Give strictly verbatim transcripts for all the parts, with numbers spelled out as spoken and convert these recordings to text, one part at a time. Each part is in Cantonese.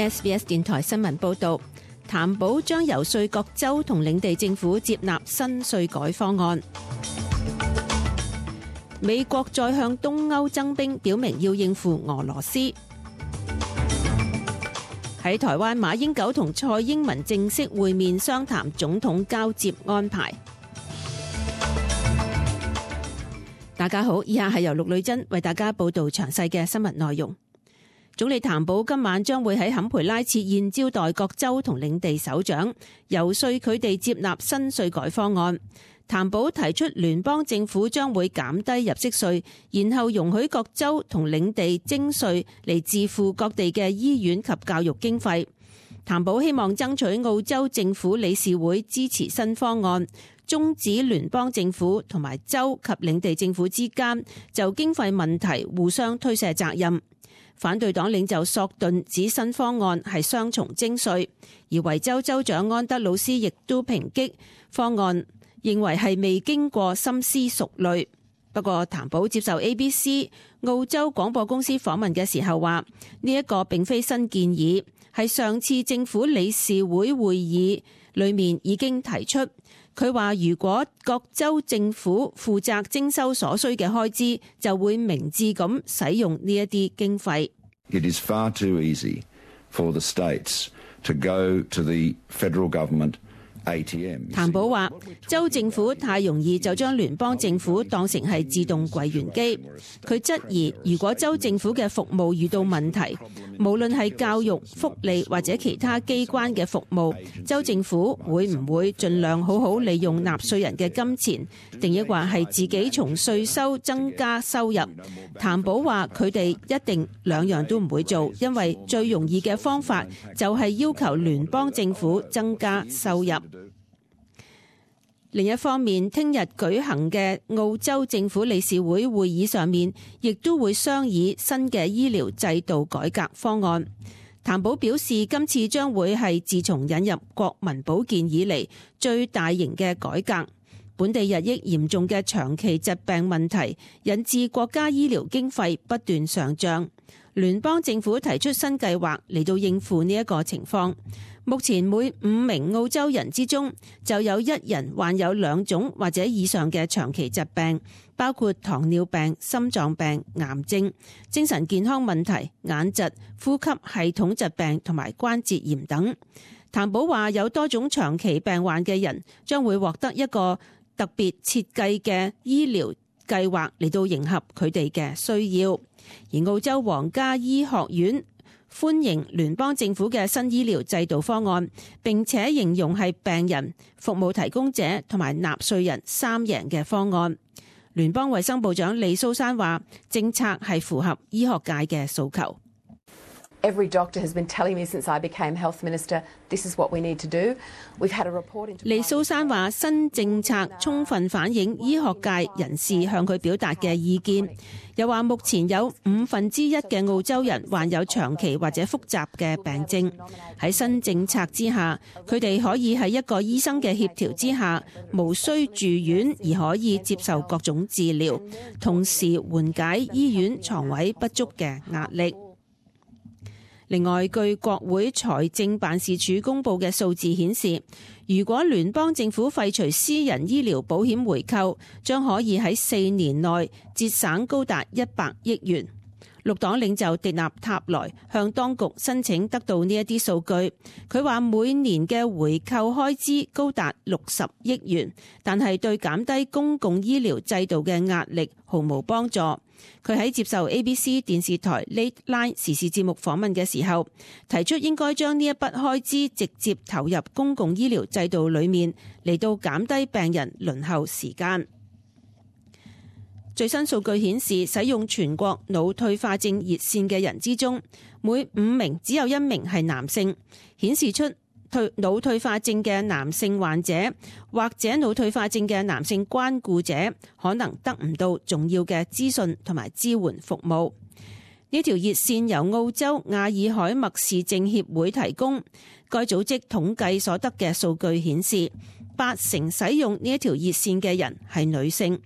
S B S 電台新聞報導，譚寶將遊說各州同領地政府接納新稅改方案。美國再向東歐增兵，表明要應付俄羅斯。喺台灣，馬英九同蔡英文正式會面商談總統交接安排。大家好，以下係由陸女珍為大家報道詳細嘅新聞內容。總理譚寶今晚將會喺坎培拉設宴招待各州同領地首長，遊說佢哋接納新稅改方案。譚寶提出聯邦政府將會減低入息稅，然後容許各州同領地徵稅嚟支付各地嘅醫院及教育經費。譚寶希望爭取澳洲政府理事會支持新方案，終止聯邦政府同埋州及領地政府之間就經費問題互相推卸責任。反對黨領袖索頓指新方案係雙重徵稅，而維州州長安德魯斯亦都抨擊方案，認為係未經過深思熟慮。不過譚寶接受 A B C 澳洲廣播公司訪問嘅時候話，呢一個並非新建議，係上次政府理事會會議裏面已經提出。佢話如果各州政府負責徵收所需嘅開支，就會明智咁使用呢一啲經費。It is far too easy for the states to go to the federal government A T M。譚寶話州政府太容易就將聯邦政府當成係自動櫃員機。佢質疑如果州政府嘅服務遇到問題，無論係教育、福利或者其他機關嘅服務，州政府會唔會盡量好好利用納稅人嘅金錢，定抑或係自己從稅收增加收入？譚寶話佢哋一定兩樣都唔會做，因為最容易嘅方法就係要求聯邦政府增加收入。另一方面，聽日舉行嘅澳洲政府理事會會議上面，亦都會商議新嘅醫療制度改革方案。譚寶表示，今次將會係自從引入國民保健以嚟最大型嘅改革。本地日益嚴重嘅長期疾病問題，引致國家醫療經費不斷上漲。聯邦政府提出新計劃嚟到應付呢一個情況。目前每五名澳洲人之中就有一人患有兩種或者以上嘅長期疾病，包括糖尿病、心臟病、癌症、精神健康問題、眼疾、呼吸系統疾病同埋關節炎等。譚寶話有多種長期病患嘅人將會獲得一個特別設計嘅醫療計劃嚟到迎合佢哋嘅需要。而澳洲皇家醫學院歡迎聯邦政府嘅新醫療制度方案，並且形容係病人、服務提供者同埋納稅人三贏嘅方案。聯邦衛生部長李蘇珊話，政策係符合醫學界嘅訴求。Every doctor has been telling me since I became health minister, this is what we need to do. We've had a report into... 李蘇珊話，新政策充分反映醫學界人士向佢表達嘅意見。又話目前有五分之一嘅澳洲人患有長期或者複雜嘅病症。喺新政策之下，佢哋可以喺一個醫生嘅協調之下，無需住院而可以接受各種治療，同時緩解醫院床位不足嘅壓力。另外，據國會財政辦事處公布嘅數字顯示，如果聯邦政府廢除私人醫療保險回扣，將可以喺四年內節省高達一百億元。綠黨領袖迪納塔萊向當局申請得到呢一啲數據。佢話每年嘅回扣開支高達六十億元，但係對減低公共醫療制度嘅壓力毫無幫助。佢喺接受 A B C 電視台 Late Line 時事節目訪問嘅時候，提出應該將呢一筆開支直接投入公共醫療制度裏面，嚟到減低病人輪候時間。最新數據顯示，使用全國腦退化症熱線嘅人之中，每五名只有一名係男性，顯示出退腦退化症嘅男性患者或者腦退化症嘅男性關顧者可能得唔到重要嘅資訊同埋支援服務。呢條熱線由澳洲亞爾海默氏症協會提供，該組織統計所得嘅數據顯示，八成使用呢一條熱線嘅人係女性。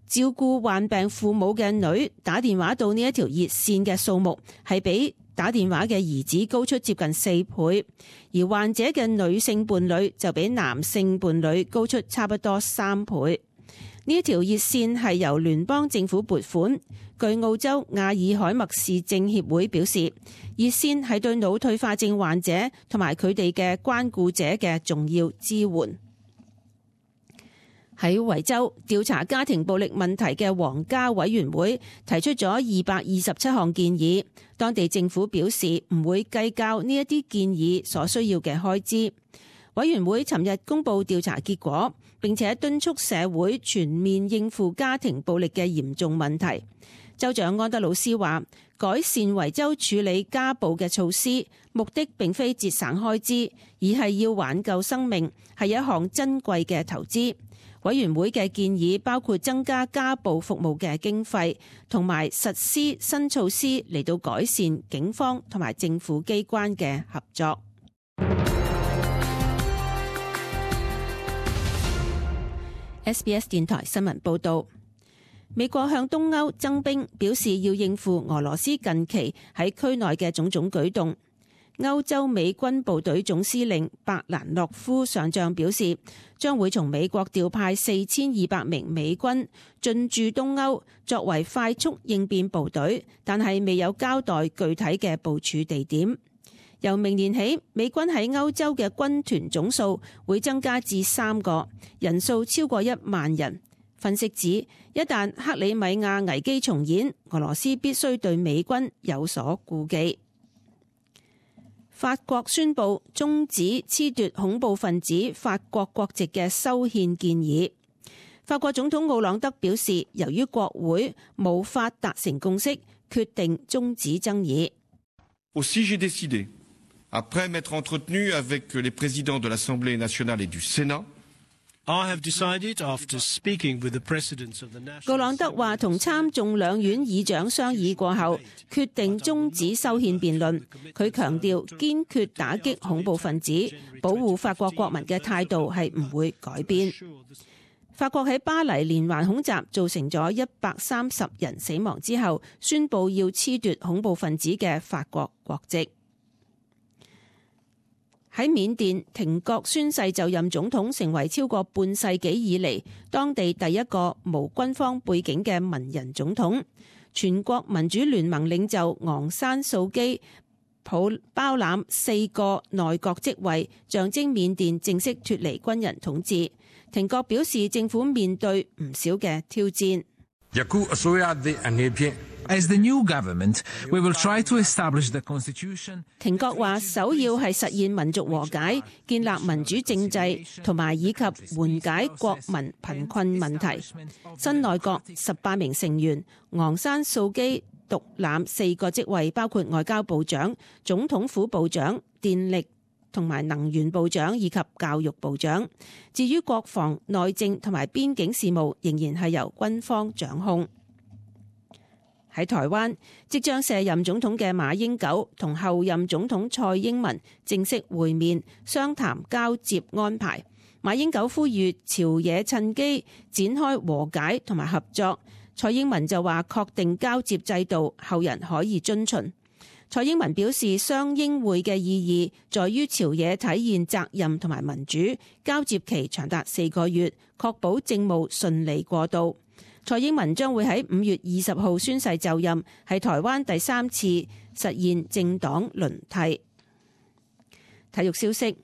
照顧患病父母嘅女打電話到呢一條熱線嘅數目係比打電話嘅兒子高出接近四倍，而患者嘅女性伴侶就比男性伴侶高出差不多三倍。呢一條熱線係由聯邦政府撥款。據澳洲亞爾海默市政協會表示，熱線係對腦退化症患者同埋佢哋嘅關顧者嘅重要支援。喺維州調查家庭暴力問題嘅皇家委員會提出咗二百二十七項建議，當地政府表示唔會計較呢一啲建議所需要嘅開支。委員會尋日公布調查結果，並且敦促社會全面應付家庭暴力嘅嚴重問題。州長安德魯斯話，改善維州處理家暴嘅措施，目的並非節省開支，而係要挽救生命，係一項珍貴嘅投資。委員會嘅建議包括增加家暴服務嘅經費，同埋實施新措施嚟到改善警方同埋政府機關嘅合作。S B S 電台新聞報道。美國向東歐增兵，表示要應付俄羅斯近期喺區內嘅種種舉動。歐洲美軍部隊總司令伯蘭諾夫上將表示，將會從美國調派四千二百名美軍進駐東歐，作為快速應變部隊，但係未有交代具體嘅部署地點。由明年起，美軍喺歐洲嘅軍團總數會增加至三個，人數超過一萬人。分析指，一旦克里米亞危機重演，俄羅斯必須對美軍有所顧忌。法國宣布終止褫奪恐怖分子法國國籍嘅修憲建議。法國總統奧朗德表示，由於國會無法達成共識，決定終止爭議。Aussi, j'ai décidé, après m'être entretenu avec les présidents de l'Assemblée nationale et du Sénat, I have decided after speaking with the presidents of the national. 奧朗德話同參眾兩院議長商議過後，決定終止修憲辯論。佢強調堅決打擊恐怖分子，保護法國國民嘅態度係唔會改變。法國喺巴黎連環恐襲造成咗一百三十人死亡之後，宣布要褫奪恐怖分子嘅法國國籍。喺緬甸，廷覺宣誓就任總統，成為超過半世紀以嚟當地第一個無軍方背景嘅文人總統。全國民主聯盟領袖昂山素基抱包攬四個內閣職位，象徵緬甸正式脫離軍人統治。廷覺表示，政府面對唔少嘅挑戰。As the new government, we will try to establish the constitution. 廷覺話，首要係實現民族和解，建立民主政制，同埋以及緩解國民貧困問題。新內閣十八名成員，昂山素基獨攬四個職位，包括外交部長、總統府部長、電力同埋能源部長以及教育部長。至於國防、內政同埋邊境事務，仍然係由軍方掌控。喺台灣，即將卸任總統嘅馬英九同後任總統蔡英文正式會面，商談交接安排。馬英九呼籲朝野趁機展開和解同埋合作，蔡英文就話確定交接制度，後人可以遵循。蔡英文表示，雙英會嘅意義在於朝野體現責任同埋民主，交接期長達四個月，確保政務順利過渡。蔡英文將會喺五月二十號宣誓就任，係台灣第三次實現政黨輪替。體育消息：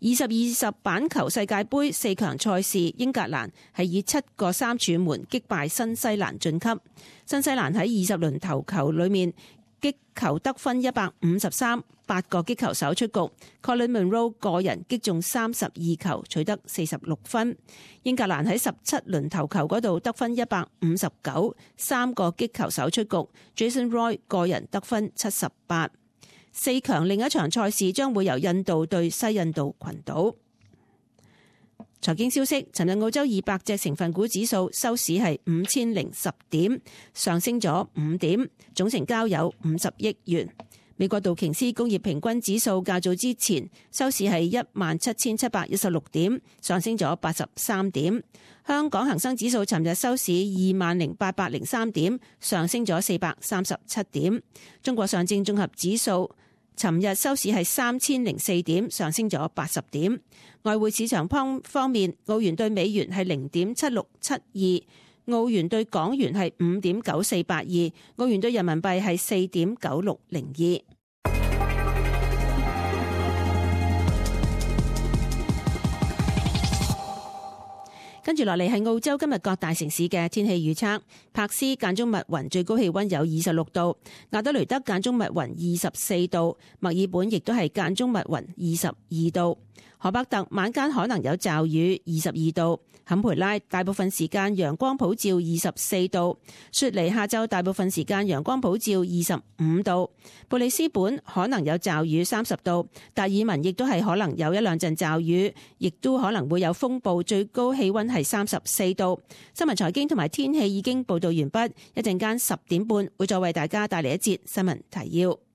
二十二十板球世界盃四強賽事，英格蘭係以七個三柱門擊敗新西蘭晉級。新西蘭喺二十輪投球裏面擊球得分一百五十三，八個擊球手出局。Colin Munro 個人擊中三十二球，取得四十六分。英格蘭喺十七輪投球嗰度得分一百五十九，三個擊球手出局。Jason Roy 個人得分七十八。四強另一場賽事將會由印度對西印度群島。財經消息：尋日澳洲二百隻成分股指數收市係五千零十點，上升咗五點，總成交有五十億元。美國道瓊斯工業平均指數較早之前收市係一萬七千七百一十六點，上升咗八十三點。香港恒生指數尋日收市二萬零八百零三點，上升咗四百三十七點。中國上證綜合指數尋日收市係三千零四點，上升咗八十點。外匯市場方方面，澳元對美元係零點七六七二，澳元對港元係五點九四八二，澳元對人民幣係四點九六零二。跟住落嚟係澳洲今日各大城市嘅天氣預測。柏斯間中密雲，最高氣溫有二十六度；亞德雷德間中密雲，二十四度；墨爾本亦都係間中密雲，二十二度；荷伯特晚間可能有驟雨，二十二度；坎培拉大部分時間陽光普照，二十四度；雪梨下晝大部分時間陽光普照，二十五度；布里斯本可能有驟雨，三十度；達爾文亦都係可能有一兩陣驟雨，亦都可能會有風暴，最高氣溫係三十四度。新聞財經同埋天氣已經報道完畢，一陣間十點半會再為大家帶嚟一節新聞提要。